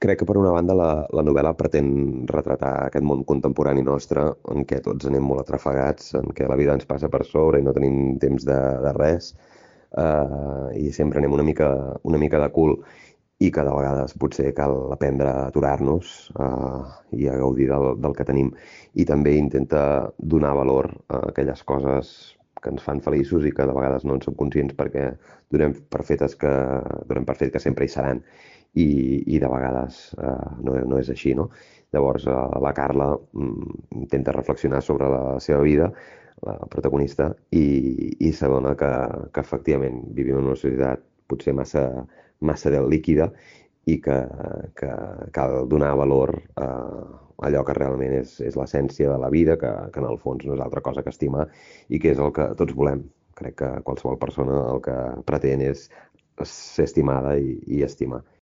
Crec que per una banda la novel·la pretén retratar aquest món contemporani nostre en què tots anem molt atrafegats, en què la vida ens passa per sobre i no tenim temps de res, i sempre anem una mica de cul i que de vegades potser cal aprendre a aturar-nos i a gaudir del que tenim. I també intenta donar valor a aquelles coses que ens fan feliços i que de vegades no en som conscients perquè donem per fet que sempre hi seran i de vegades no és així, no? Llavors la Carla intenta reflexionar sobre la seva vida, la protagonista, i s'adona que efectivament vivim en una societat potser massa líquida i que cal donar valor a allò que realment és l'essència de la vida, que en el fons no és altra cosa que estimar i que és el que tots volem. Crec que qualsevol persona el que pretén és ser estimada i estimar.